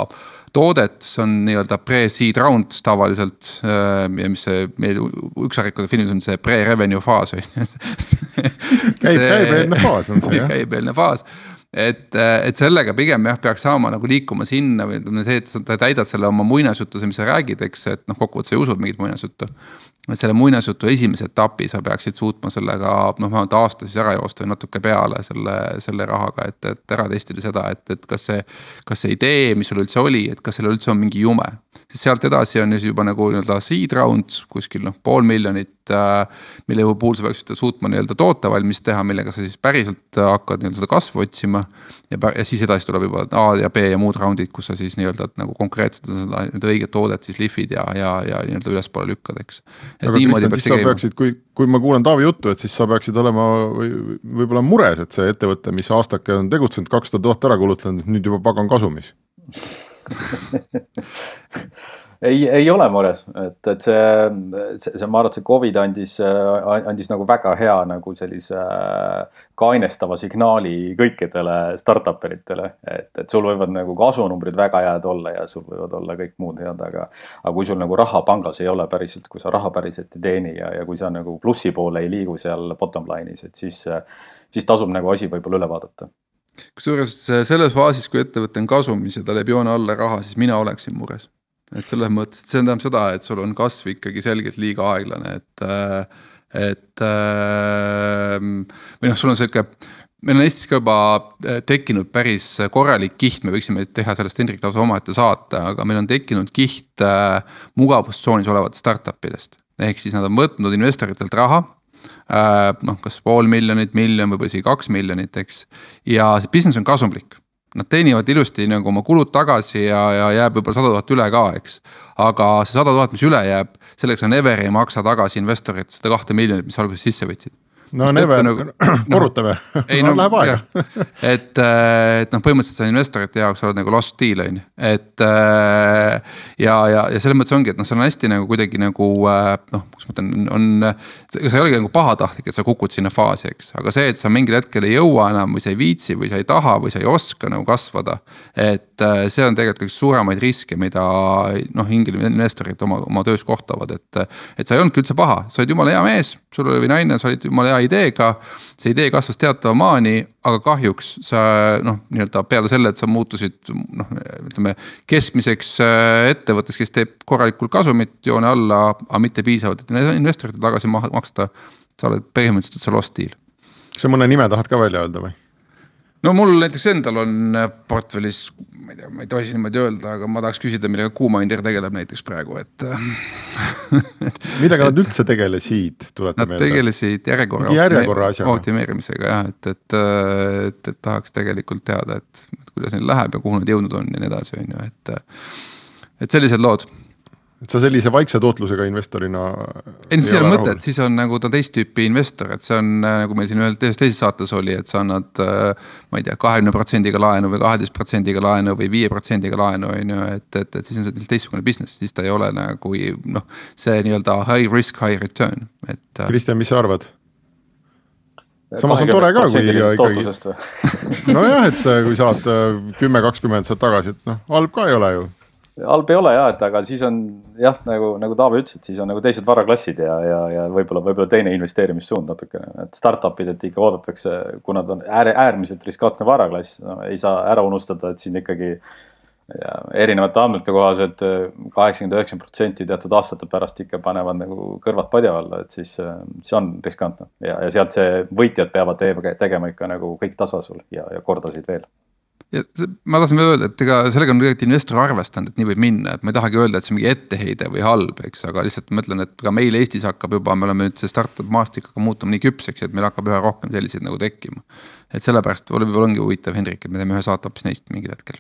toodet, see on nii-öelda pre-seed round tavaliselt ja mis see meil ükssarikude filmis on see pre-revenue faas. Käib, käibeelne faas on see, jah? Käibeelne faas. et, et sellega pigem jah, peaks saama nagu liikuma sinna või see, et sa täidad selle oma muinasjuttuse, mis sa räägid, eks, et noh, kokkuvõttes sa ei usud mingit muinasjuttu. Et selle muinasjutu esimese etapi sa peaksid suutma sellega noh, vähemalt aasta siis ära joosta või natuke peale selle, selle rahaga, et, et ära testida seda, et, et kas see, kas see idee, mis sul üldse oli, et kas selle üldse on mingi jume. Siis sealt edasi on juba nagu nii-öelda seed round, kuskil noh, pool miljonit, mille puhul sa peaksid suutma nii-öelda toota valmis teha, millega sa siis päriselt hakkad nii-öelda seda kasvu otsima ja, ja siis edasi tuleb juba A ja B ja muud roundid, kus sa siis nii-öelda nagu konkreetselt seda õiget toodet siis lihvid ja, ja, ja nii-öelda ülespoole lükkad, eks. Aga Kristjan, siis sa peaksid, kui, kui ma kuulen Taavi juttu, et siis sa peaksid olema või, võib-olla mures, et see ettevõte, mis aastake on tegutsenud, kakssada tuhat ära kulutanud, nüüd juba pagan kasumis. ei, ei ole mures, et, et see, see, see, ma arvan, et see Covid andis, andis nagu väga hea nagu sellise kainestava signaali kõikidele startuperitele, et, et sul võivad nagu kasunumbrid väga head olla ja sul võivad olla kõik muud head, aga, aga kui sul nagu raha pangas ei ole päriselt, kui sa raha päriselt ei teeni ja, ja kui sa nagu plussi poole ei liigu seal bottom line'is, et siis, siis tasub nagu asi võib-olla üle vaadata. Kusjuures selles faasis, kui ettevõte on kasumis ja ta läheb joone alla raha, siis mina oleksin mures. Et selles mõttes, et see tähendab seda, et sul on kasv ikkagi selgelt liiga aeglane, et, et või noh, sul on selline, meil on Eestis ka juba tekkinud päris korralik kiht, me võiksime teha sellest Hendrik lausa omaette saate, aga meil on tekkinud kiht mugavustsoonis olevat startupidest. Ehk siis nad on võtnud investoritelt raha, noh, kas pool miljonit, miljon, võib-olla isegi kaks miljonit, eks. Ja see business on kasumlik. Nad teenivad ilusti nagu oma kulud tagasi ja, ja jääb võib-olla sada tuhat üle ka, eks. Aga see sada tuhat, mis üle jääb, selleks on Ever ei maksa tagasi investorit seda kahte miljonit, mis alguses sisse võtsid. No Never, nagu, korrutame, ei, no, läheb aega. et, et noh, põhimõtteliselt see investorite jaoks oled nagu lost deal, on. Et ja, ja, ja selles mõttes ongi, et noh, see on hästi nagu kuidagi nagu noh, kus ma ütlen, on, sa ei olegi nagu pahatahtlik, et sa kukud sinna faasi, eks. Aga see, et sa mingil hetkel ei jõua enam või sa ei viitsi või sa ei taha või sa ei oska nagu kasvada, et see on tegelikult üks suuremaid riske, mida noh, hingil investorid oma, oma töös kohtavad, et, et sa ei olnudki üldse paha, sa olid jumala hea mees, sul oli naine, sa olid jumala hea ideega, see idee kasvas teatava maani, aga kahjuks sa noh, nii-öelda peale selle, et sa muutusid noh, ütleme keskmiseks ettevõttes, kes teeb korralikult kasumit joone alla, aga mitte piisavalt, et investorite tagasi maksta, sa oled põhimõtteliselt see lost deal. Kas sa mõne nime tahad ka välja öelda või? No mul näiteks endal on portfellis, ma ei tea, ma ei tohi niimoodi öelda, aga ma tahaks küsida, millega Kuumaindir tegeleb näiteks praegu, et millega nad üldse tegelesid, tuleta meelde? Nad tegelesid järjekorra, järjekorra optimeerimisega, jah, et, et, et, et tahaks tegelikult teada, et kuidas neil läheb ja kuhu nad jõudnud on ja nii edasi, on ju, et, et sellised lood. Et sa sellise vaikse tootlusega investorina ei, siis ei ole mõtet, siis on nagu ta teist tüüpi investor, et see on nagu meil siin ühel teises saates oli, et sa annad ma ei tea, kahekümne protsendiga laenu või kaheteist protsendiga laenu või viie protsendiga laenu, et, et, et siis on see teistsugune business, siis ta ei ole nagu noh, see nii-öelda high risk, high return. Et, Kristjan, mis sa arvad? Samas on tore ka, kui ikkagi no jah, et kui saad kümme kakskümmend saad tagasi, et noh, halb ka ei ole ju. Halb ei ole jah, et aga siis on jah, nagu, nagu Taavi ütles, et siis on nagu teised varaklassid ja, ja, ja võib-olla, võib-olla teine investeerimissuund natukene, et startupid, et ikka oodatakse, kui nad on äär, äärmiselt riskantne varaklass, no, ei saa ära unustada, et siin ikkagi ja, erinevate andmete kohaselt kaheksakümmend üheksa protsenti teatud aastate pärast ikka panevad nagu kõrvad padja alla, et siis see on riskantne ja, ja sealt see võitjad peavad tegema ikka nagu kõik tasa sul ja, ja kordasid veel. Ja ma tahtsin veel öelda, et ega sellega on tegelikult investor arvestanud, et nii võib minna, et ma ei tahagi öelda, et see on mingi etteheide või halb, eks, aga lihtsalt ma ütlen, et ka meil Eestis hakkab juba, me oleme nüüd see startup maastikaga muutuma nii küpseks, et meil hakkab üha rohkem selliseid nagu tekkima. Et sellepärast võib-olla ongi huvitav, Hendrik, et me teeme ühe saate hoopis neist mingil hetkel.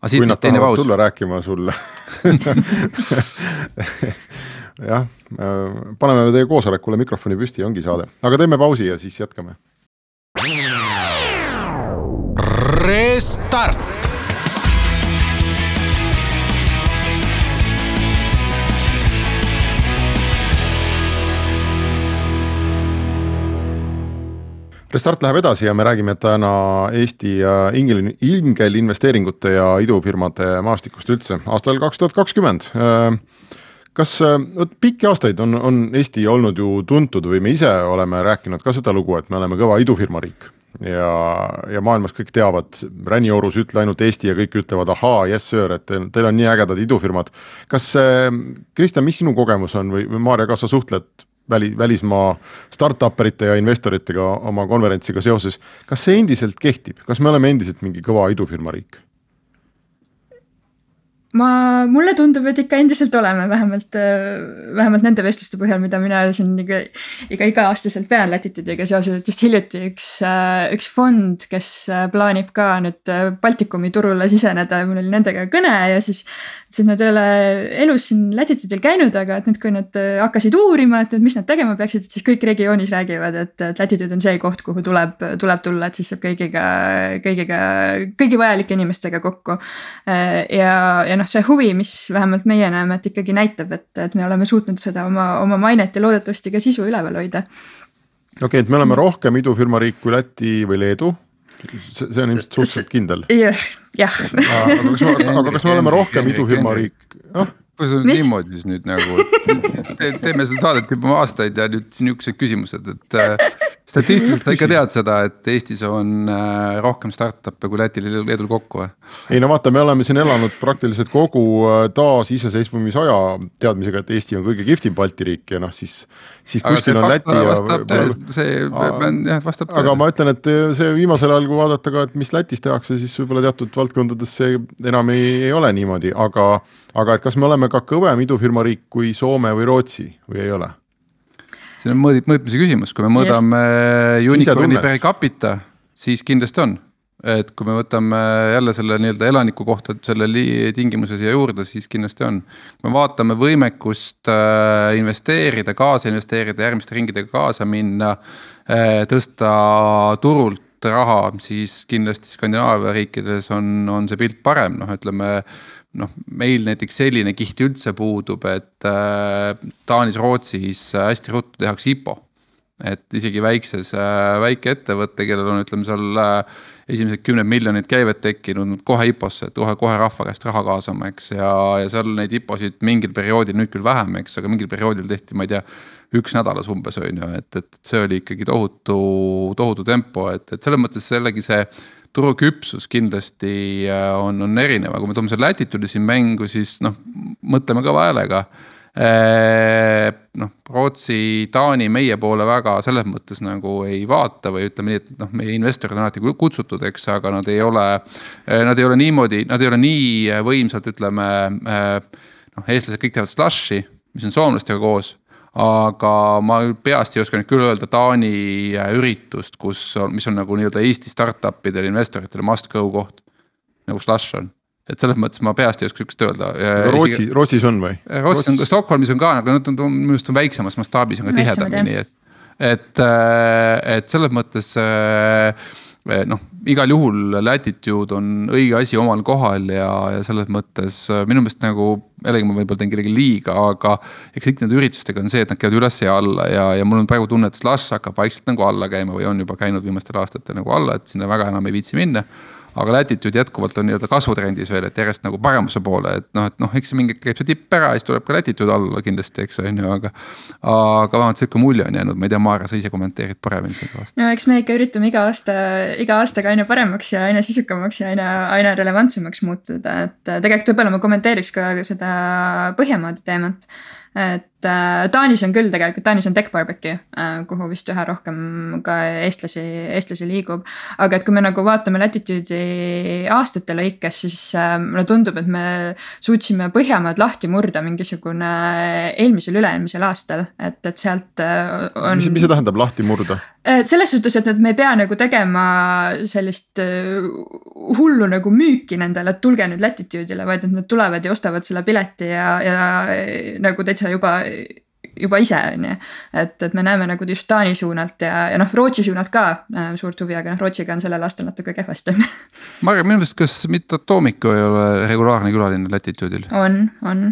Kui nad tahavad tulla rääkima sulle. jah, paneme teie koosolekule mikrofoni püsti, ongi saade. Aga teeme pausi ja siis jätkame. Restart. Restart läheb edasi ja me räägime täna Eesti ingel, ingel investeeringute ja idufirmade maastikust üldse aastal kaks tuhat kakskümmend. Kas pikki aastaid on, on Eesti olnud ju tuntud või me ise oleme rääkinud ka seda lugu, et me oleme kõva idufirma riik? ja, ja maailmas kõik teavad, Räniorus ütle ainult Eesti ja kõik ütlevad ahaa, yes sir, et teil, teil on nii ägedad idufirmad. Kas Kristjan, mis sinu kogemus on või, või Maarja, kas sa suhtled väli, välismaa startuperite ja investoritega oma konverentsiga seoses, kas see endiselt kehtib? Kas me oleme endiselt mingi kõva idufirma riik? Ma, mulle tundub, et ikka endiselt oleme vähemalt, vähemalt nende vestluste põhjal, mida mina siin iga, iga, iga aastaselt pean Latitude'iga seoses, et just hiljuti üks, üks fond, kes plaanib ka nüüd Baltikumi turule siseneda ja mul oli nendega kõne ja siis, siis nad ei ole elus siin Latitude'il käinud, aga et nüüd, kui nad hakkasid uurima, et mis nad tegema peaksid, et siis kõik regioonis räägivad, et, et Latitude on see koht, kuhu tuleb, tuleb tulla, et siis saab kõigiga, kõigiga, kõigi vajalike inimestega kokku ja, ja noh, see huvi, mis vähemalt meie näeme, et ikkagi näitab, et, et me oleme suutnud seda oma, oma mainet ja loodetavasti ka sisu üleval hoida. Okei, okay, et me oleme rohkem idufirma riik kui Läti või Leedu. See, see on ilmselt suhteliselt kindel. Jah. jah. Aga, kas me, aga kas me oleme rohkem idufirma riik? Ah? Kui see on mis? Niimoodi siis nüüd nagu, te, teeme seda saadet juba aastaid ja nüüd niisugused küsimused, et statistiliselt sa ikka tead seda, et Eestis on rohkem startup'e kui Lätil ja Leedul kokku või? Ei no vaata, me oleme siin elanud praktiliselt kogu taas iseseisvumisaja teadmisega, et Eesti on kõige kihvtim Balti riik ja noh, siis, siis kuskil on Läti ja... Töö, see aga, jah, vastab aga ma ütlen, et see viimasel ajal, kui vaadata ka, et mis Lätis tehakse, siis võib-olla teatud valdkondades see enam ei, ei ole niimoodi, aga, aga et kas me oleme ka kõvem idufirma riik kui Soome või Rootsi või ei ole? See on mõõd, mõõtmise küsimus, kui me mõõdame yes. unicorni per capita, siis kindlasti on. Et kui me võtame jälle selle nii-öelda elaniku kohta selle tingimuse siia juurde, siis kindlasti on. Kui me vaatame võimekust investeerida, kaasa investeerida, järgmiste ringidega kaasa minna, tõsta turult raha, siis kindlasti Skandinaavia riikides on, on see pilt parem. No, ütleme, noh, meil näiteks selline kiht üldse puudub, et äh, Taanis, Rootsis hästi ruttu tehakse I P O. Et isegi väikses äh, väike ettevõtte, kellel on, ütleme, seal äh, esimesed kümned miljonid käivet tekkinud kohe I P O-sse, et kohe, kohe rahva käest raha kaasama, eks, ja, ja seal neid I P O-sid mingil perioodil, nüüd küll vähem, eks, aga mingil perioodil tehti, ma ei tea, üks nädalas umbes on ju, et, et see oli ikkagi tohutu, tohutu tempo, et, et selles mõttes sellegi see turu küpsus kindlasti on, on erinev, kui me toome selle Latitude'i siin mängu, siis noh, mõtleme kõva häälega. E, noh, Rootsi, Taani meie poole väga selles mõttes nagu ei vaata või ütleme nii, et noh, meie investorid on alati kutsutud, eks, aga nad ei ole, nad ei ole niimoodi, nad ei ole nii võimsalt, ütleme, noh, eestlased kõik teevad slushi, mis on soomlastega koos, aga ma peast ei oska nüüd küll öelda Taani üritust, kus on, mis on nagu nii-öelda Eesti startupidele, investoritele must go koht, nagu slush on. Et selles mõttes ma peast ei oska sükest öelda. Rootsi, Rootsis on või? Rootsis on, Stockholmis on ka, aga nad on, minu arust on väiksemas mastaabis, on ka tihedamini. Et, et, et selles mõttes noh, igal juhul Latitude on õige asi omal kohal ja, ja selles mõttes minu meelest nagu, jällegi ma võib-olla teen kellegi liiga, aga eks kõik need üritustega on see, et nad käivad üles ja alla ja, ja mul on praegu tunne, et Slush hakkab vaikselt nagu alla käima või on juba käinud viimastel aastatel nagu alla, et sinna väga enam ei viitsi minna. Aga Latitude jätkuvalt on nii-öelda kasvutrendis veel, et järjest nagu paremuse poole, et noh, et noh, eks mingi käib see tipp ära, siis tuleb ka Latitude alla kindlasti, eks on ju, aga aga vähemalt selline mulje on jäänud, ma ei tea, Maarja, sa ise kommenteerid paremini selle aasta. No eks me ikka üritame iga aasta, iga aastaga aina paremaks ja aina sisukamaks ja aina, aina relevantsemaks muutuda, et tegelikult võib-olla ma kommenteeriks ka seda Põhjamaade teemat, et Taanis on küll tegelikult, Taanis on Tech Barbecue, kuhu vist üha rohkem ka eestlasi, eestlasi liigub, aga et kui me nagu vaatame Latitude'i aastate lõikes, siis mulle tundub, et me suutsime Põhjamaad lahti murda mingisugune eelmisel üle-eelmisel aastal, et, et sealt on... Mis, mis see tähendab lahti murda? Selles suhtes, et me ei pea nagu tegema sellist hullu nagu müüki nendele, et tulge nüüd Latitude'ile, vaid et nad tulevad ja ostavad selle pileti ja, ja nagu täitsa juba juba ise on ju, et, et me näeme nagu just Taani suunalt ja, ja noh, Rootsi suunalt ka äh, suurt huvi, aga noh, Rootsiga on sellel aastal natuke kehvasti. Marja, minu meelest, kas mitte Atomico ei ole regulaarne külaline Latitude'il? On, on.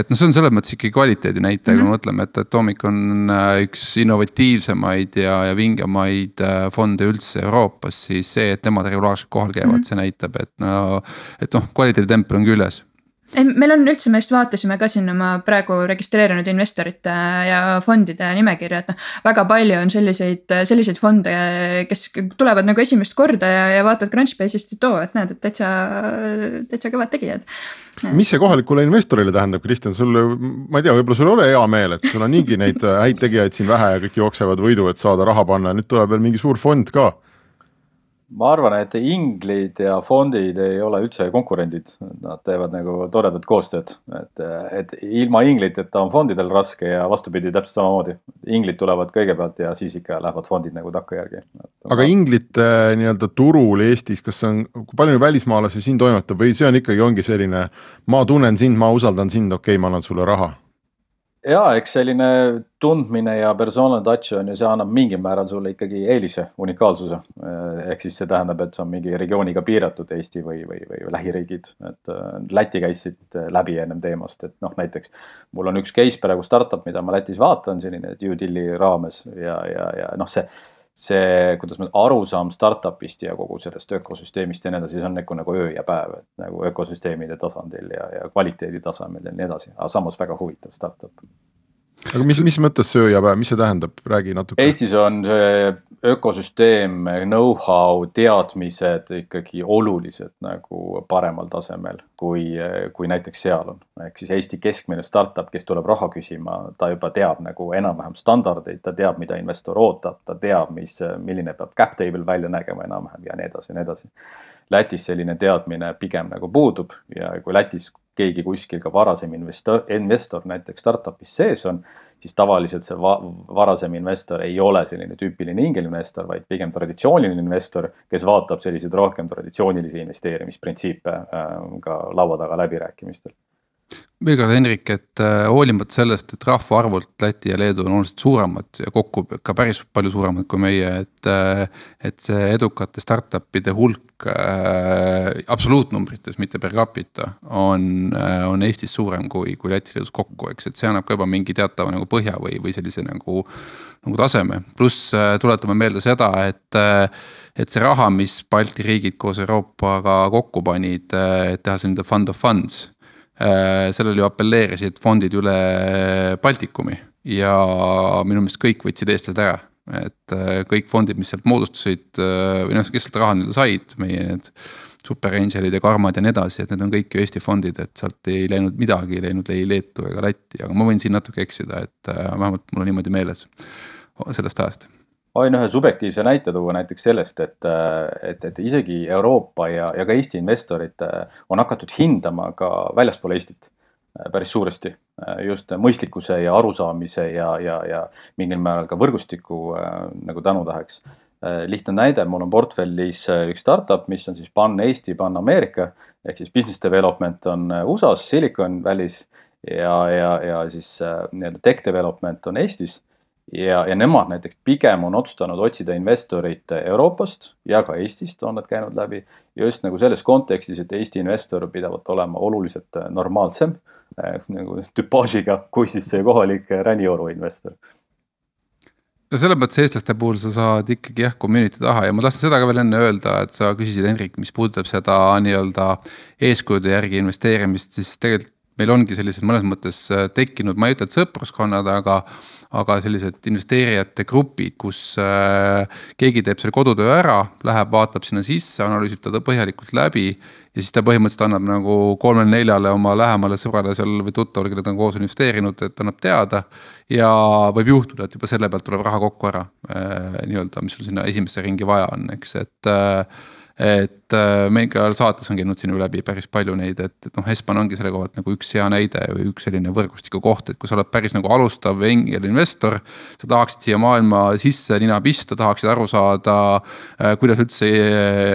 Et no see on selles mõttes ikkagi kvaliteedi näite, mm-hmm. kui me mõtleme, et Atomic on üks innovatiivsemaid ja, ja vingemaid fonde üldse Euroopas, siis see, et nemad regulaarselt kohal käivad, mm-hmm. see näitab, et no, et noh, kvaliteedi tempel on küljes. ei, meil on üldse, me just vaatasime ka siin oma praegu registreerinud investorite ja fondide nimekirja, et noh, väga palju on selliseid, selliseid fonde, kes tulevad nagu esimest korda ja, ja vaatad Crunchbase'ist, et oo, et näed, et täitsa, täitsa kõvad tegijad. Mis see kohalikule investorile tähendab, Kristjan, sul, ma ei tea, võib-olla sul ole hea meel, et sul on niigi neid häid tegijaid siin vähe ja kõik jooksevad võidu, et saada raha panna, nüüd tuleb veel mingi suur fond ka. Ma arvan, et inglid ja fondid ei ole üldse konkurendid, nad teevad nagu toredat koostööd, et, et ilma ingliteta on fondidel raske ja vastupidi täpselt samamoodi. Inglid tulevad kõigepealt ja siis ikka lähevad fondid nagu takka järgi. Aga inglite nii-öelda turul Eestis, kas on, kui palju välismaalasi siin toimetab või see on ikkagi ongi selline, ma tunnen sind, ma usaldan sind, okei, ma annan sulle raha? Jaa, eks selline tundmine ja personaalne touch on ja see annab mingil määral sulle ikkagi eelise, unikaalsuse. Ehk siis see tähendab, et see on mingi regiooniga piiratud Eesti või, või, või lähiriigid. Et Läti käisid läbi ennem teemast, et noh, näiteks mul on üks case praegu startup, mida ma Lätis vaatan selline due deal'i raames ja, ja, ja noh, see see, kuidas me arusaam startupist ja kogu sellest ökosüsteemist ja nii edasi, see on nagu, nagu öö ja päev, et nagu ökosüsteemide tasandil ja, ja kvaliteedi tasemel ja nii edasi, aga samas väga huvitav startup. Aga mis, mis mõttes see öö ja päev, mis see tähendab, räägi natuke. Eestis on see ökosüsteem, know-how, teadmised ikkagi olulised nagu paremal tasemel, kui, kui näiteks seal on. Ehk siis Eesti keskmine startup, kes tuleb raha küsima, ta juba teab nagu enam-vähem standardeid, ta teab, mida investor ootab, ta teab, mis, milline peab cap table välja nägema enam-vähem ja nii edasi ja nii edasi. Lätis selline teadmine pigem nagu puudub ja kui Lätis keegi kuskil ka varasem investor, investor näiteks startupis sees on, siis tavaliselt see va varasem investor ei ole selline tüüpiline ingelinvestor, vaid pigem traditsiooniline investor, kes vaatab selliseid rohkem traditsioonilisi investeerimisprintsiipe äh, ka laua taga läbirääkimistel. Veel Henrik, et hoolimata sellest, et rahvaarvult Läti ja Leedu on oluliselt suuremad ja kokku ka päris palju suuremad kui meie, et, et see edukate startupide hulk äh, absoluutnumbrites, mitte per capita, on, on Eestis suurem kui, kui Läti Leedus kokku, eks, et see annab ka juba mingi teatava nagu põhja või, või sellise nagu, nagu taseme. Pluss tuletame meelde seda, et et see raha, mis Balti riigid koos Euroopaga kokku panid, et teha selline fund of funds, sellele ju appelleerisid fondid üle Baltikumi ja minu meelest kõik võtsid eestlased ära, et kõik fondid, mis sealt moodustusid või noh, kes sealt raha neile said, meie need Super Angelid ja Karmad ja nii edasi, et need on kõik ju Eesti fondid, et sealt ei läinud midagi, ei läinud ei Leetu ega Lätti, aga ma võin siin natuke eksida, et vähemalt mul on niimoodi meeles sellest ajast. Võin ühe subjektiivse näite tuua näiteks sellest, et, et, et isegi Euroopa ja, ja ka Eesti investorid on hakatud hindama ka väljaspool Eestit päris suuresti. Just mõistlikkuse ja arusaamise ja, ja, ja mingil määral ka võrgustiku nagu tänutäheks. Lihtne näide, mul on portfellis üks startup, mis on siis Pan Eesti, Pan Ameerika, ehk siis business development on U S A-s, Silicon Valley's ja, ja, ja siis tech development on Eestis. Ja, ja nemad näiteks pigem on otsustanud otsida investorit Euroopast ja ka Eestist on nad käinud läbi. Just nagu selles kontekstis, et Eesti investor pidavat olema oluliselt normaalsem nagu tüpaažiga, kui siis see kohalik ränioru investor. No selle mõttes eestlaste puhul sa saad ikkagi jah community taha ja ma tahtsin seda ka veel enne öelda, et sa küsisid Henrik, mis puudutab seda nii-öelda eeskujude järgi investeerimist, siis tegelikult meil ongi sellised mõnes mõttes tekkinud, ma ei ütle, et sõpruskonnad, aga aga sellised investeerijate grupid, kus äh, keegi teeb selle kodutöö ära, läheb, vaatab sinna sisse, analüüsib ta põhjalikult läbi ja siis ta põhimõtteliselt annab nagu kolmele neljale oma lähemale sõbrale seal või tuttavale, kelle ta on koos investeerinud, et annab teada ja võib juhtuda, et juba selle pealt tuleb raha kokku ära äh, nii-öelda, mis sul sinna esimesse ringi vaja on, eks, et äh, et meil ka saates on käinud sinu läbi päris palju neid, et, et noh, Espan ongi selle kohalt nagu üks hea näide või üks selline võrgustiku koht, et kui sa oled päris nagu alustav investor, sa tahaksid siia maailma sisse nina pista, tahaksid aru saada, kuidas üldse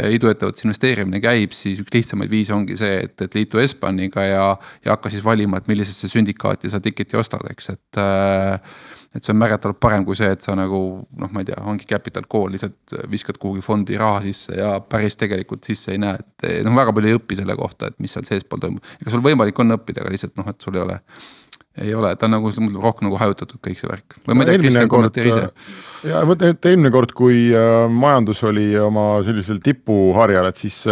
iduettevõttes investeerimine käib, siis üks lihtsamaid viise ongi see, et, et liitu Espaniga ja, ja hakka siis valima, et millisesse sündikaati sa tiketi ostad, eks, et et see on märgatavalt parem kui see, et sa nagu, noh, ma ei tea, ongi capital call, lihtsalt viskad kuhugi fondi raha sisse ja päris tegelikult sisse ei näe, et noh, väga palju ei õpi selle kohta, et mis seal seespool toimub. Ega sul võimalik on õppida, aga lihtsalt noh, et sul ei ole, ei ole, ta on nagu rohkem nagu hajutatud kõik see värk. Või ma ei tea, Kristjan kommenteeri ise. Ja mõtlen, et eelmine kord, kui majandus oli oma sellisel tipuharjal, et siis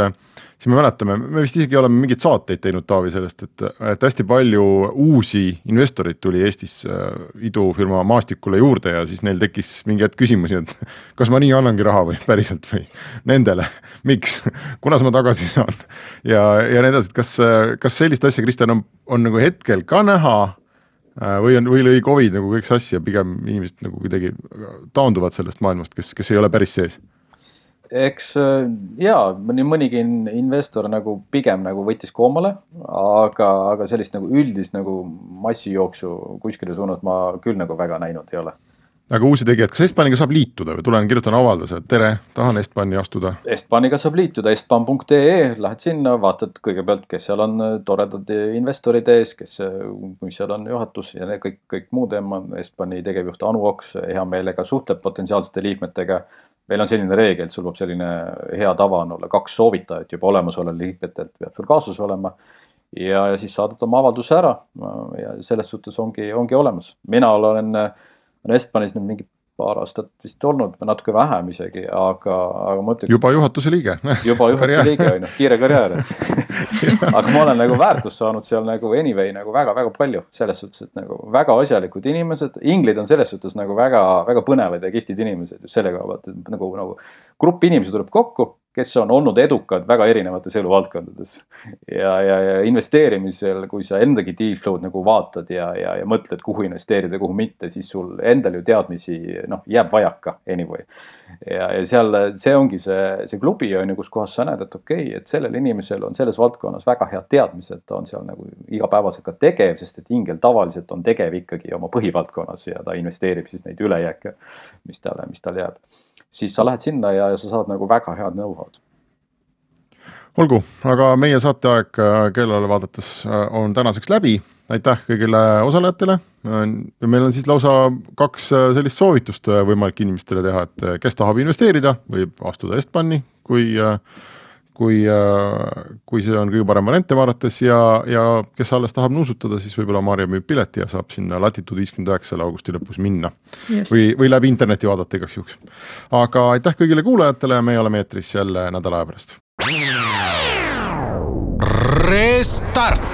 siis me mäletame, me vist isegi oleme mingeid saateid teinud Taavi sellest, et, et hästi palju uusi investorid tuli Eestis idufirma maastikule juurde ja siis neil tekkis mingi hetk küsimusi, et kas ma nii annangi raha või päriselt või nendele, miks, kunas ma tagasi saan ja, ja need asjad, kas, kas sellist asja, Kristjan, on, on nagu hetkel ka näha või on, või lõi Covid nagu kõik sassi ja pigem inimesed nagu kuidagi taanduvad sellest maailmast, kes, kes ei ole päris sees? Eks jaa, mõni mõnigi investor nagu pigem nagu võttis koomale, aga, aga sellist nagu üldist nagu massijooksu kuskile suunas ma küll nagu väga näinud ei ole. Aga uusi tegijad, kas Estbaniga saab liituda või tulen kirjutan avalduse, et tere, tahan Estbani astuda? Estbaniga saab liituda, estban punkt ee, lähed sinna, vaatad kõigepealt, kes seal on toredad investorid ees, kes, kui seal on juhatus ja kõik, kõik muu teema, Estbani tegevjuht Anu Oks hea meelega suhtleb potentsiaalsete liikmetega. Meil on selline reegel, et sul peab selline hea tava on olla kaks soovitajat juba olemasole liikmetelt peab sul kaasus olema ja, ja siis saadad oma avalduse ära ja selles suhtes ongi, ongi olemas. Mina olen Estbanis nüüd mingi paar aastat vist olnud, natuke vähem isegi, aga, aga ma ütleks... Juba juhatuse liige. Juba juhatuse liige, no, kiire karjäär. Aga ma olen nagu väärtust saanud seal nagu anyway nagu väga, väga palju. Selles suhtes, et nagu väga asjalikud inimesed, inglid on selles suhtes nagu väga, väga põnevad ja kihtid inimesed. Just selle koha pealt, et nagu, nagu grupp inimesi tuleb kokku, kes on olnud edukad väga erinevates eluvaldkondades. Ja, ja, ja investeerimisel, kui sa endagi deal flow'd nagu vaatad ja, ja, ja mõtled, kuhu investeerida, kuhu mitte, siis sul endal ju teadmisi noh, jääb vajaka anyway. Ja, ja seal see ongi see, see klubi on ju, kus kohas sa näed, et okei, okay, et sellel inimesel on selles valdkonnas väga head teadmised, ta on seal nagu igapäevaselt ka tegev, sest et ingel tavaliselt on tegev ikkagi oma põhivaldkonnas ja ta investeerib siis neid ülejääke, mis tal, mis tal jääb. Siis sa lähed sinna ja, ja sa saad nagu väga head know-how'd. Olgu, aga meie saateaeg kellele vaadates on tänaseks läbi. Aitäh kõigile osalejatele. Meil on siis lausa kaks sellist soovitust võimalik inimestele teha, et kes tahab investeerida, võib astuda Estbani, kui, kui, kui see on kõige parem variante vaadates ja, ja kes alles tahab nuusutada, siis võib-olla Maarja müüb pileti ja saab sinna Latitude viiskümmend üheksa augusti lõpus minna või, või läbi interneti vaadata igaks juhuks. Aga aitäh kõigile kuulajatele ja meie oleme eetris jälle nädala aja pärast. Restart.